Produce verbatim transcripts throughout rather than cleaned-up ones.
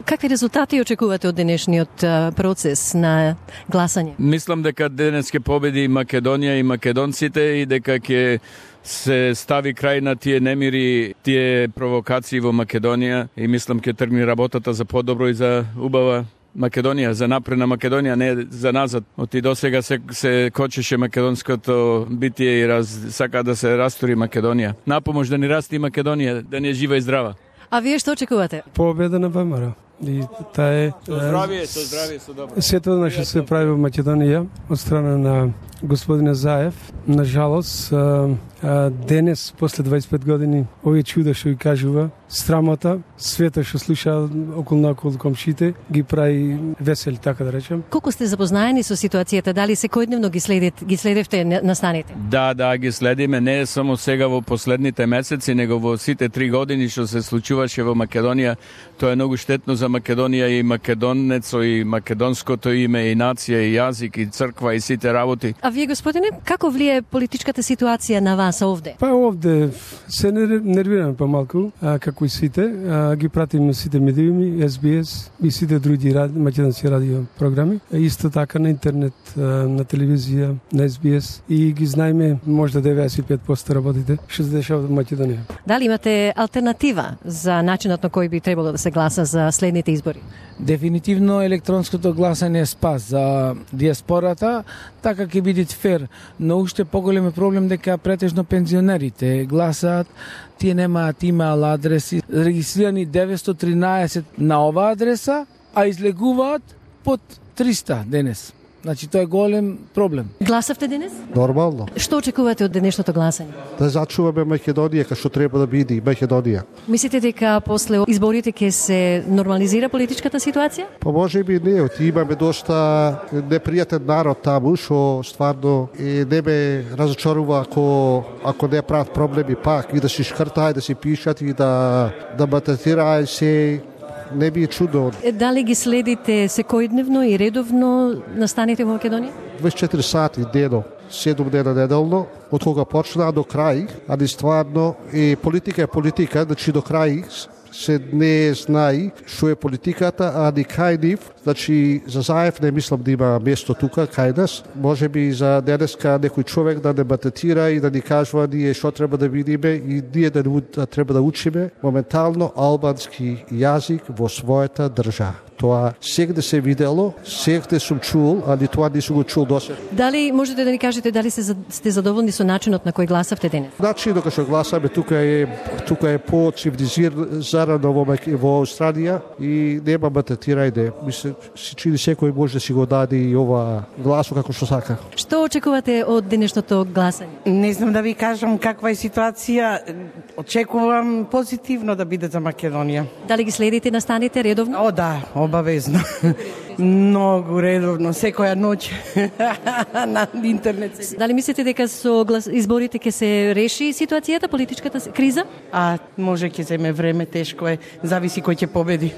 Какви резултати очекувате од денешниот процес на гласање? Мислам дека денес ќе победи Македонија и македонците и дека ќе се стави крај на тие немири, тие провокации во Македонија и мислам ќе тргне работата за подобро и за убава Македонија, за напредна Македонија, не за назад. Оти до сега се, се кочеше македонското битие и раз, сака да се растури Македонија. Напомош да ни расти Македонија, да ни е жива и здрава. А вие што очекувате? Победа на ВМРО. И таа е Со здравие, со здравие, со добро. Сето наше се прави во Македонија од страна на господина Заев. Нажалост, денес, после дваесет и пет години, овие чуда што ги кажува, срамота, света што слуша околу наоколу комшите, ги прави весели, така да речем. Колку сте запознаени со ситуацијата? Дали секојдневно ги следите, ги следевте настаните? Да, да, ги следиме не само сега во последните месеци, него во сите три години што се случуваше во Македонија. Тоа е многу штетно за Македонија и македонецо и македонското име и нација и јазик и црква и сите работи. А вие, господине, како влие политичката ситуација на вас овде? Па овде се нервираме помалку, а, како и сите. А, ги пратиме сите медиуми, Ес Би Ес и сите други ради, македонски радио програми. А, исто така на интернет, а, на телевизија, на Ес Би Ес. И ги знаеме, можда деветдесет и пет проценти работите, што се дешава во Македонија. Дали имате алтернатива за начинот на кој би требало да се гласа за следните избори? Дефинитивно електронското гласање е спас за диаспората, така ќе биде фер, но уште поголем е проблем дека претежно пензионерите гласаат, тие немаат имейл адреси, регистрирани деветстотини и тринаесет на оваа адреса, а излегуваат под триста денес. Значи, тоа е голем проблем. Гласавте денес? Нормално. Што очекувате од денешното гласање? Да зачуваме Македонија, како што треба да биде Македонија. Мислите дека после изборите ќе се нормализира политичката ситуација? Па може би не, оти имаме доста непријатен народ таму, што стварно е, не ме разочарува ако, ако не прават проблеми пак и да си шкртај, да си пишат и да, да мататирај се. Не би е чудо. Дали ги следите секојдневно и редовно настаните во Македонија? дваесет и четири сати дено, седум дена неделно, од кога почна до крај, али стварно е политика е политика, значи до крај се не знае што е политиката, а ни кај нив, значи за Заев не мислам да има место тука кај нас. Може би за денеска некој човек да не батетира и да ни кажува ние што треба да видиме и ние да, да треба да учиме моментално албански јазик во својата држава. Тоа сегде се видело, сегде сум чул, али тоа не сум го чул досега. Дали можете да ни кажете дали сте задоволни со начинот на кој гласавте денес? Начинот на кој гласаме тука е тука е по-цивилизирано во во Австралија и нема батетирајде. Мислам си чини секој може да си го даде и ова гласо како што сака. Што очекувате од денешното гласање? Не знам да ви кажам каква е ситуација. Очекувам позитивно да биде за Македонија. Дали ги следите настаните редовно? О, да, обавезно. Многу редовно, секоја ноќ на интернет. Дали мислите дека со глас... изборите ќе се реши ситуацијата, политичката криза? А, може ќе земе време, тешко е, зависи кој ќе победи.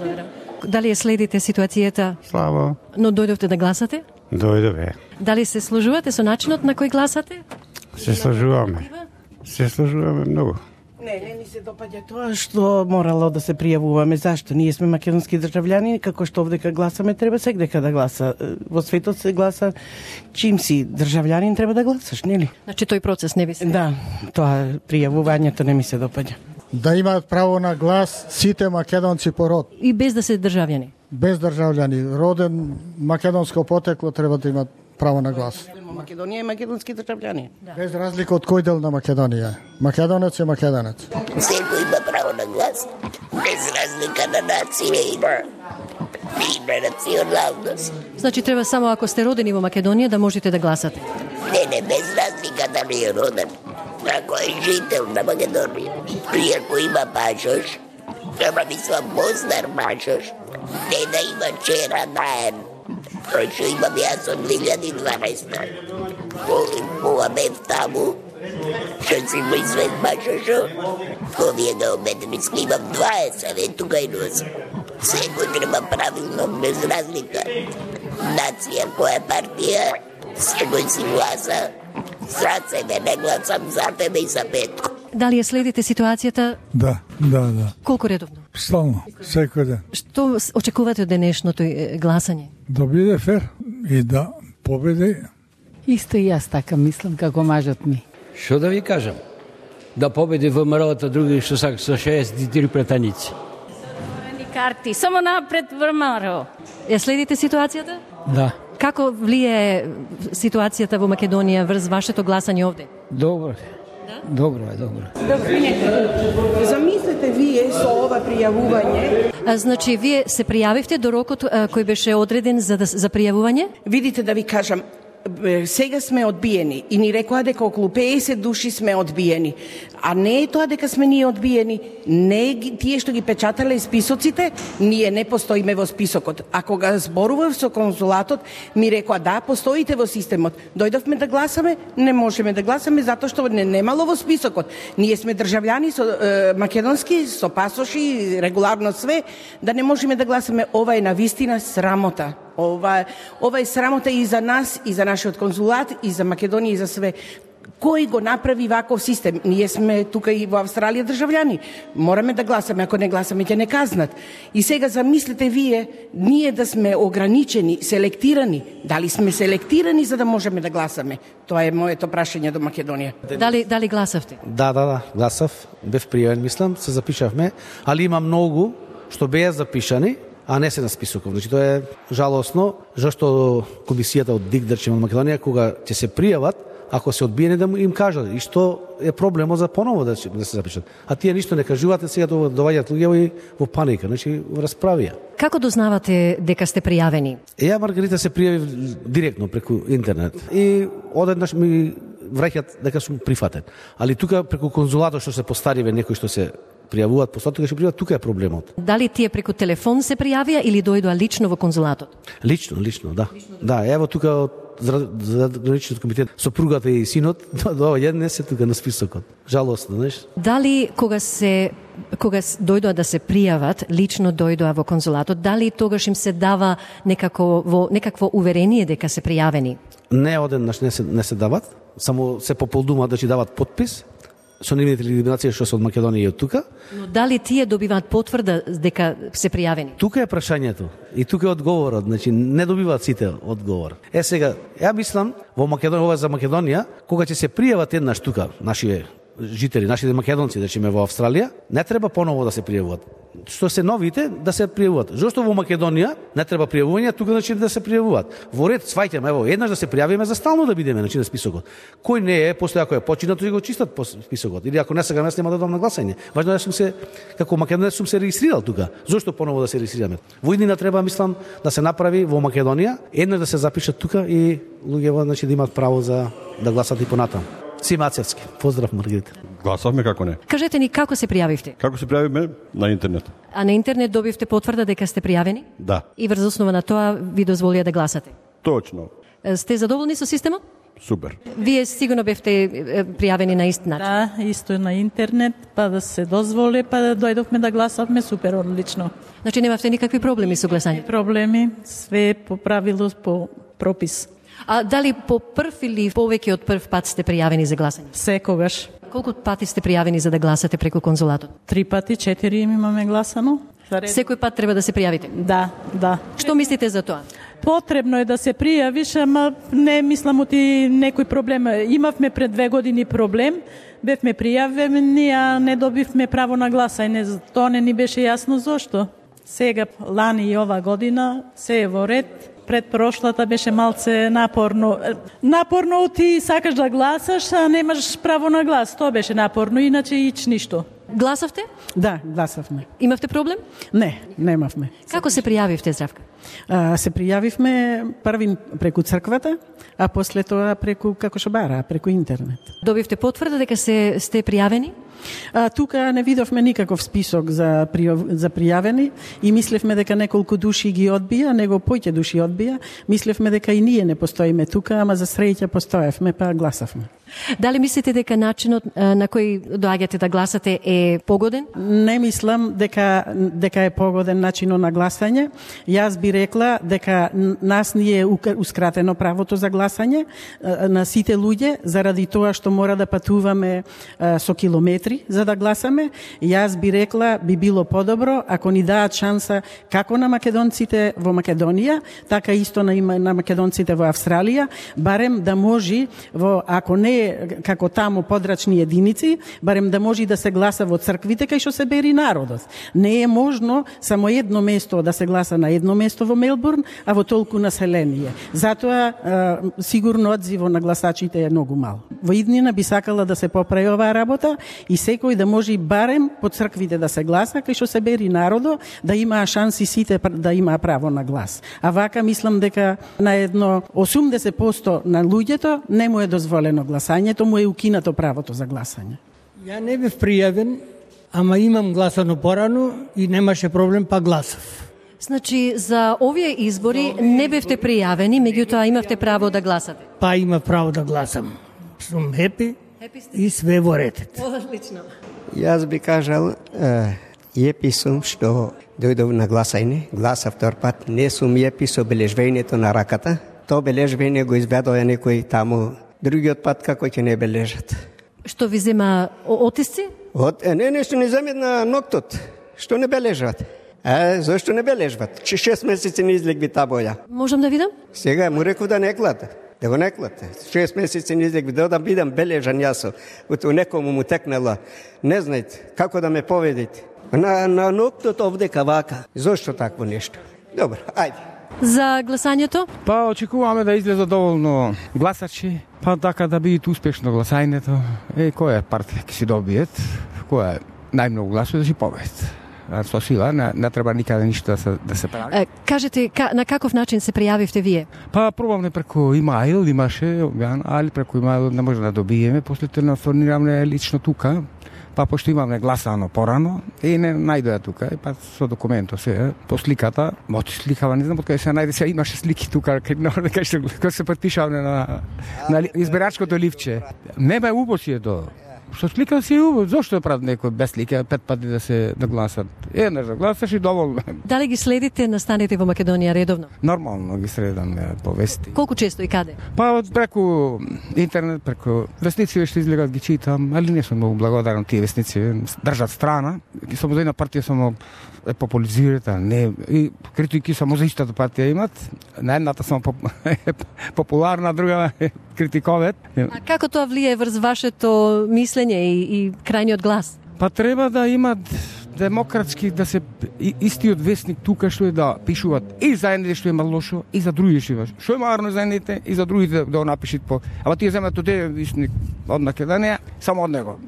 Добре. Дали ја следите ситуацијата? Слава. Но дојдовте да гласате? Дојдове. Дали се сложувате со начинот на кој гласате? Се сложуваме. Се сложуваме многу. Не, не ни се допаѓа тоа што морало да се пријавуваме. Зашто? Ние сме македонски државјани, како што овдека гласаме, треба сегдека да гласа. Во светот се гласа чим си државјанин треба да гласаш, нели? Значи тој процес не ви се. Да, тоа пријавувањето не ми се допаѓа. Да имаат право на глас сите македонци по род. И без да се државјани. Без државјани, роден македонско потекло треба да имаат право на глас. Македонија е македонски државјани. Да. Без разлика од кој дел на Македонија. Македонец е македонец. Секој има право на глас, без разлика на нација и на, и на националност. Значи треба само ако сте родени во Македонија да можете да гласате. Не, не, без разлика дали е роден. Ако е жител на Македонија, и ако има пашош, ама мислам познар пашош, не да има чера наен. Кој што имам јас од две илјади и дванаесета. Ова бев таму, што си му извед пашошо, овие да обедниски имам дваесет, е тука и носам. Секој треба правилно, без разлика. Нација, која партија, секој си гласа, за себе, не гласам за тебе и за Петко. Дали ја следите ситуацијата? Да, да, да. Колку редовно? Стално, секој ден. Што очекувате од денешното е, гласање? Да биде фер и да победи. Исто и јас така мислам како мажот ми. Што да ви кажам? Да победи ВМРО-та, други што сак со шеесет и три претаници. Карти, само напред ВМРО. Ја следите ситуацијата? Да. Како влие ситуацијата во Македонија врз вашето гласање овде? Добро. Добро е, добро. Замислете вие со ова пријавување. А, значи, вие се пријавивте до рокот а, кој беше одреден за, да, за пријавување? Видите да ви кажам, сега сме одбиени и ни рекоа дека околу педесет души сме одбиени. А не е тоа дека сме ние одбиени, не е тие што ги печатале списоците, ние не постоиме во списокот. А кога зборував со конзулатот, ми рекоа да, постоите во системот. Дојдовме да гласаме, не можеме да гласаме затоа што не немало во списокот. Ние сме државјани со е, македонски, со пасоши, регуларно све, да не можеме да гласаме. Ова е навистина срамота. Ова, ова е срамота и за нас, и за нашиот конзулат, и за Македонија, и за све. Кој го направи ваков систем? Ние сме тука и во Австралија државјани. Мораме да гласаме, ако не гласаме ќе не казнат. И сега замислите вие, ние да сме ограничени, селектирани. Дали сме селектирани за да можеме да гласаме? Тоа е моето прашање до Македонија. Дали, дали гласавте? Да, да, да, гласав. Бев пријавен, мислам, се запишавме, али има многу што беа запишани, а не се на списоков. Значи тоа е жалосно, зашто комисијата од ДИК, речеме, од Македонија, кога ќе се пријават, ако се одбиени да им кажат и што е проблемот за поново да, да се запишат. А тие ништо не кажуваат, сега доваѓаат луѓе во паника, значи во расправија. Како дознавате дека сте пријавени? Ја, Маргарита, се пријави директно преку интернет и одеднаш ми враќаат дека сум прифатен. Али тука преку конзулатот што се постариве некои што се пријавуваат, постатоа што пријавуваат, тука е проблемот. Дали тие преку телефон се пријавија или дојдоа лично во конзулатот? Лично, лично, да. Лично. Да, ево тука од Задграничниот комитет, сопругата и синот, доаѓа не се тука на списокот. Жалосно, знаеш? Дали кога се кога дојдоа да се пријават, лично дојдоа во конзулатот, дали тогаш им се дава некако во некакво уверение дека се пријавени? Не, одеднаш не се не се дават, само се пополнуваат да ќе дават подпис со нивните легитимации што се од Македонија и од тука. Но дали тие добиваат потврда дека се пријавени? Тука е прашањето и тука е одговорот, значи не добиваат сите одговор. Е сега, ја мислам во Македонија, ова за Македонија, кога ќе се пријават еднаш тука нашите жители, нашите македонци, да речеме во Австралија, не треба поново да се пријавуваат. Што се новите да се пријавуваат. Зошто во Македонија не треба пријавување, тука значи да се пријавуваат. Во ред сваќаме, ево, еднаш да се пријавиме за стално да бидеме значи на списокот. Кој не е, после ако е починато, го чистат по списокот. Или ако не сега нема да дадам на гласање. Важно е да сум се како Македонија сум се регистрирал тука. Зошто поново да се регистрираме? Во иднина треба, мислам, да се направи во Македонија, еднаш да се запишат тука и луѓето значи да имаат право за да гласат и понатаму. Симацевски. Поздрав, Маргарита. Гласавме како не. Кажете ни како се пријавивте? Како се пријавиме? На интернет. А на интернет добивте потврда дека сте пријавени? Да. И врз основа на тоа ви дозволија да гласате? Точно. Сте задоволни со системот? Супер. Вие сигурно бевте пријавени на ист начин. Да, исто на интернет, па да се дозволи, па да дојдовме да гласавме, супер, одлично. Значи немавте никакви проблеми со гласањето? Проблеми, све по правило, по пропис. А дали по прв или повеќе од прв пат сте пријавени за гласање? Секогаш. Колку пати сте пријавени за да гласате преку конзулатот? Три пати, четири имаме гласано. Секој пат треба да се пријавите? Да, да. Што мислите за тоа? Потребно е да се пријавиш, ама не мислам оти некој проблем. Имавме пред две години проблем, бевме пријавени, а не добивме право на гласање. Тоа не ни беше јасно зошто. Сега, лани и ова година, се е во ред. Пред прошлата беше малце напорно. Напорно ти сакаш да гласаш, а немаш право на глас. Тоа беше напорно, иначе ич ништо. Гласавте? Да, гласавме. Имавте проблем? Не, немавме. Како се пријавивте, Здравка? А, се пријавивме први преку црквата, а после тоа преку како што бара, преку интернет. Добивте потврда дека се сте пријавени? А, тука не видовме никаков список за, пријав, за пријавени и мислевме дека неколку души ги одбија, него поќе души одбија. Мислевме дека и ние не постоиме тука, ама за среќа постоевме, па гласавме. Дали мислите дека начинот на кој доаѓате да гласате е погоден? Не мислам дека дека е погоден начинот на гласање. Јас би би рекла дека нас ни е ускратено правото за гласање на сите луѓе заради тоа што мора да патуваме со километри за да гласаме. Јас би рекла би било подобро ако ни даат шанса како на македонците во Македонија, така исто на на македонците во Австралија, барем да може во ако не е како таму подрачни единици, барем да може да се гласа во црквите кај што се бери народот. Не е можно само едно место да се гласа на едно место во Мелбурн, а во толку население. Затоа сигурно одзивот на гласачите е многу мал. Во иднина би сакала да се поправи оваа работа и секој да може барем по црквите да се гласа кај што се бери народот, да имаа шанси сите да имаа право на глас. А вака мислам дека на едно осумдесет проценти на луѓето не му е дозволено гласањето, му е укинато правото за гласање. Ја не бев пријавен, ама имам гласано порано и немаше проблем, па гласав. Значи, за овие избори не бевте пријавени, меѓутоа имавте право да гласате. Па има право да гласам. Сум хепи и све во ретет. Одлично. Јас би кажал, јепи сум што дојдов на гласање, гласав втор пат, не сум јепи со бележвењето на раката. То бележвење го избедоја некој таму, другиот пат како ќе не бележат. Што ви зема отисци? От, не, нешто не земет на ноктот, што не бележат. Е, зашто не бележват? Че шест месеци не излегби та боја. Можам да видам? Сега му реков да не клате. Да го не клате. шест месеци не излегби, да да бидам бележан јас. Ото некому му текнела. Не знаете како да ме поведите. На, на ноктот овдека вака. Зошто такво нешто? Добро, ајде. За гласањето? Па очекуваме да излезат доволно гласачи, па така да биде успешно гласањето. Е, која партија ќе си добиет, која најмногу гласува да си победит. Со сила не, не треба никаде ништо да се, да се прави. Е, кажете, ка, на каков начин се пријавивте вие? Па пробавме преку имайл, имаше, али преку имайл не може да добиеме, после телефонираме лично тука. Па пошто имаме гласано порано и не најдоја тука, и па со документо се, по сликата, мот сликава, не знам од кај се најде, се имаше слики тука, кај што кај се потпишавме на, на избирачкото ливче. Не бе убо си е тоа. Што слика си е убо, зошто прават некој без слика, пет пати да се да гласат? Еднаш да гласаш и доволно. Дали ги следите настаните во Македонија редовно? Нормално ги следам по вести. Колку често и каде? Па преку интернет, преку вестници што излегат ги читам, али не сум многу благодарен тие вестници, држат страна. Само за една партија само е популизират, не и критики само за истата партија имат. На едната само поп... популарна, друга критиковат. А како тоа влие врз вашето мислење и, и крајниот глас? Па треба да имат демократски, да се истиот вестник тука што е да пишуваат и за едните што има лошо, и за други што има. Што е марно за едните и за другите да го напишат по. Ама тие земат од тој вестник од Македонија, само од него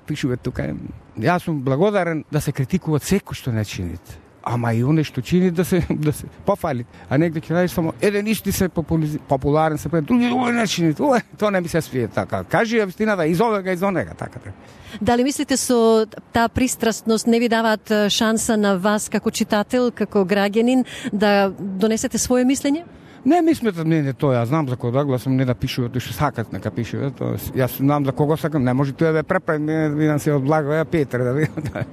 пишуваат тука. Јас сум благодарен да се критикуваат секој што не чините. Ама и оне што чини да се да се пофали, а негде ќе најдеш само еден исти се популарен се пред други не чини. Тоа не ми се свие така. Кажи вистината из овега из онега така. Дали мислите со таа пристрастност не ви даваат шанса на вас како читател, како граѓанин да донесете свое мислење? Не ми сметат мене тоа, јас знам за кого да гласам, не да пишуват, што сакат нека пишуват. Јас знам за кого сакам, не може тоа да преправи, не видам се од благо, ја Петр да видам.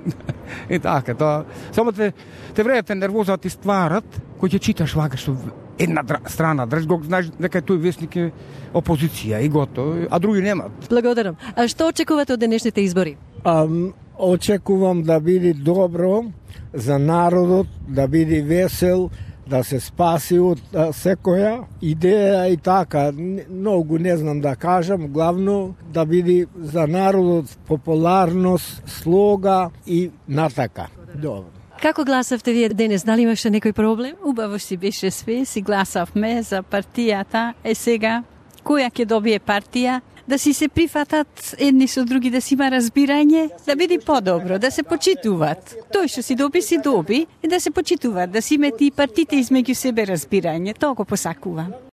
И така, тоа. Само те те врејате нервоза ти стварат, кој ќе читаш вака што една страна, држ го знаеш дека тој вестник е опозиција и готово, а други немат. Благодарам. А што очекувате од денешните избори? Um, очекувам да биде добро за народот, да биде весел, да се спаси од а, секоја идеја и така. Многу не знам да кажам, главно да биде за народот популарност, слога и натака. Добро. Како гласавте вие денес? Дали имаше некој проблем? Убаво си беше све, си гласавме за партијата. Е сега, која ќе добие партија? Да си се прифатат едни со други, да си има разбирање, да биде подобро, да се почитуваат. Тој што си доби, си доби, и да се почитуваат, да си имат и партите измеѓу себе разбирање. Тоа го посакувам.